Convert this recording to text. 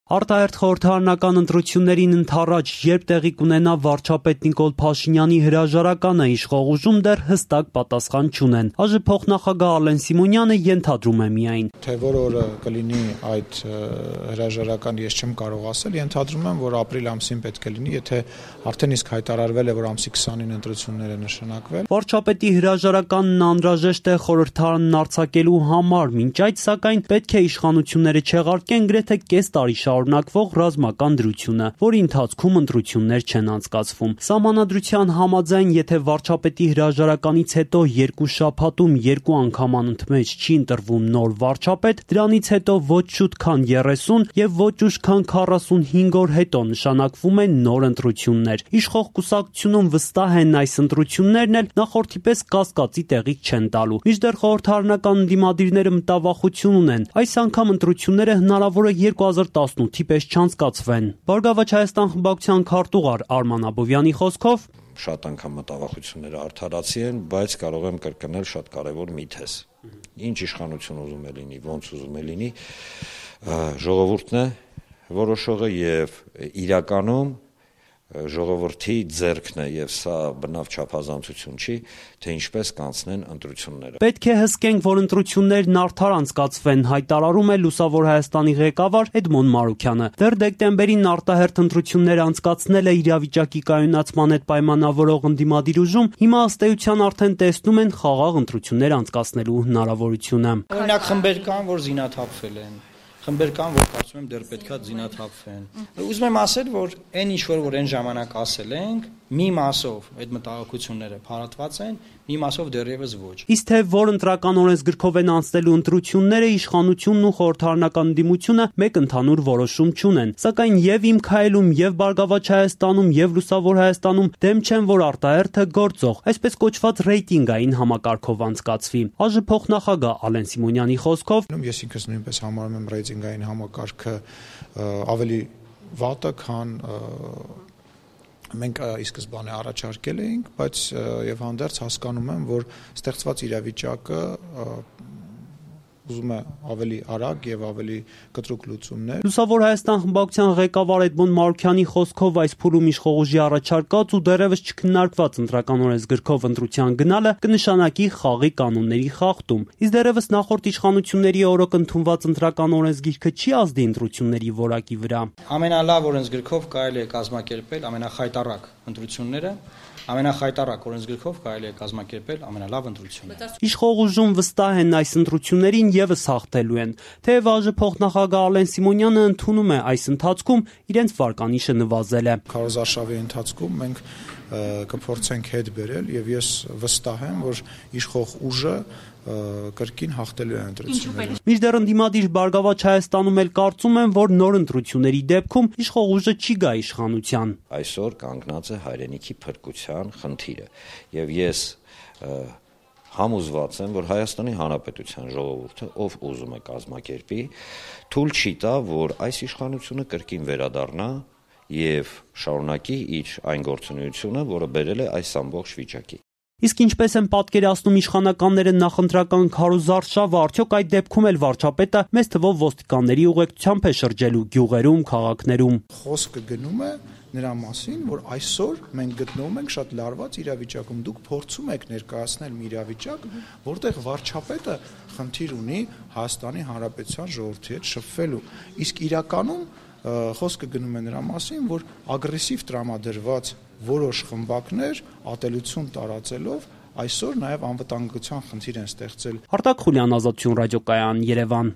Արտահերթ խորհրդարանական ընտրություններին ընդառաջ, երբ տեղի կունենա վարչապետ Նիկոլ Փաշինյանի հրաժարականը, իշխող ուժում դեռ հստակ պատասխան չունեն։ ԱԺ փոխնախագահ Ալեն Սիմոնյանը ենթադրում է միայն. Թե որ օրը կլինի այդ հրաժարականը, ես չեմ կարող ասել, ենթադրում եմ, որ ապրիլ ամսին պետք է լինի, եթե արդեն իսկ հայտարարվել է, որ ամսի 20-ին ընտրություններ է նշանակվել։ Վարչապետի հրաժարականն անհրաժեշտ է խորհրդարանն արձակելու համար, մինչ այդ սակայն պետք է իշխանությունները չեղարկեն գրեթե կես տարի շարունակվող ռազմական դրությունը, որի ընթացքում ընտրություններ չեն անցկացվում։ Սահմանադրության համաձայն, եթե վարչապետի հրաժարականից հետո 2 շաբաթում 2 անգամ անընդմեջ չի ընտրվում նոր վարչապետ, դրանից հետո ոչ շուտ քան 30 եւ ոչ ուշ քան 45 օր հետո նշանակվում են նոր ընտրություններ։ Իշխող կուսակցությունում վստահ են այս ընտրություններն էլ նախորդի պես կասկածի տեղիք չեն տալու։ Մինչդեռ խորհրդարանական ընդդիմադիրները մտավախություն ունեն։ Այս անգամ ընտրությունները հնարավոր է 2018-ի պես չանցկացվեն։ Բարգավաճ Հայաստան խմբակցության քարտուղար Արման Աբովյանի խոսքով շատ անգամ մտավախությունները արդարացի են, բայց կարող եմ կրկնել շատ կարևոր մի թեզ։ Ինչ իշխանություն ուզում է լինի, ոնց ուզում է լինի, ժողովուրդն է որոշողը եւ իրականում ժողովրդի ձեռքն է եւ սա բնավ չափազանցություն չի, թե ինչպես կանցնեն ընտրությունները։ Պետք է հսկենք, որ ընտրություններն արդար անցկացվեն, հայտարարում է Լուսավոր Հայաստանի ղեկավար Էդմոն Մարուքյանը։ Դեռ դեկտեմբերին արտահերթ ընտրություններ անցկացնել է իրավիճակի կայունացման հետ պայմանավորող ընդդիմադիր ուժում, հիմա ըստ էության արդեն տեսնում են խաղաղ ընտրություններ անցկացնելու հնարավորությունը։ Օրինակ խմբեր կան, որ զինաթափվել են։ Խմբեր կան, որ կարծում եմ դեռ պետքա զինաթափվեն։ Ուզում եմ ասել, որ այն ինչ որ այն ժամանակ ասել ենք, մի մասով այդ մտահոգությունները փարատված են, մի մասով դեռևս ոչ։ Իսկ թե որ ընտրական օրենսգրքով են անցնելու ընտրությունները, իշխանությունն ու խորհրդարանական դիմությունը մեկ ընդհանուր որոշում չունեն։ Սակայն եւ Իմ քայլում, եւ Բարգավաճ Հայաստանում, եւ Լուսավոր Հայաստանում դեմ չեն, որ արտահերթը գործող, այսպես կոչված ռեյտինգային համակարգով անցկացվի։ ԱԺ փոխնախագահ Ալեն Սիմոնյանի խոսքով ես ինքս նույնպես համարում եմ ռեյտինգային համակարգը ավելի վատը, քան մենք ի սկզբանե առաջարկել էինք, բայց եւ հանդերձ հասկանում եմ, որ ստեղծված իրավիճակը ուզում է ավելի արագ եւ ավելի կտրուկ լուծումներ։ Լուսավոր Հայաստան խմբակցության ղեկավար Էդմոն Մարուքյանի խոսքով այս փուլում իշխող ուժի առաջարկած ու դեռևս չքննարկված ընտրական օրենսգրքով ընտրության գնալը կնշանակի խաղի կանոնների խախտում։ Իսկ դեռևս նախորդ իշխանությունների օրոք ընդունված ընտրական օրենսգիրքը չի ազդի ընտրությունների որակի վրա։ Ամենալավ օրենսգրքով կարելի է կազմակերպել ամենախայտառակ ընտրությունները, ամենախայտառակ օրենսգրքով կարելի է կազմակերպել ամենալավ ընտրությունները։ Իշխող ուժում վստահ են այս ընտրություններին եւս հաղթելու են։ Թեև ԱԺ փոխնախագահ Ալեն Սիմոնյանը ընդունում է այս ընթացքում իրենց վարկանիշը նվազել է։ Քարոզարշավի ընթացքում մենք կփորձենք հետ բերել եւ ես վստահ եմ, որ իշխող ուժը կրկին հաղթելու է ընտրությունները։ Մինչդեռ ընդդիմադիր Բարգավաճ Հայաստանում էլ կարծում են, որ նոր ընտրությունների դեպքում իշխող ուժը չի գա իշխանության։ Այսօր կանգնած է հայրենիքի փրկության խնդիրը եւ ես համոզված եմ, որ Հայաստանի Հանրապետության ժողովուրդը, ով ուզում է կազմակերպի, թույլ չի տա, որ այս իշխանությունը կրկին վերադառնա եւ շարունակի իր այն գործունեությունը, որը բերել է այս ամբողջ վիճակի։ Իսկ ինչպես են պատկերացնում իշխանականները նախընտրական քարոզարշավը, արդյոք այդ դեպքում էլ վարչապետը մեծ թվով ոստիկանների ուղեկցությամբ է շրջելու գյուղերում, քաղաքներում։ Խոսքը գնում է նրա մասին, որ այսօր մենք գտնվում ենք շատ լարված իրավիճակում։ Դուք փորձում եք ներկայացնել մի իրավիճակ, որտեղ վարչապետը խնդիր ունի Հայաստանի Հանրապետության ժողովրդի հետ շփվելու։ Իսկ իրականում խոսքը գնում է նրա մասին, որ ագրեսիվ տրամադրված որոշ խմբակներ ատելություն տարածելով այսօր նաև անվտանգության խնդիր են ստեղծել։ Արտակ Խուլյան, Ազատություն ռադիոկայան, Երևան։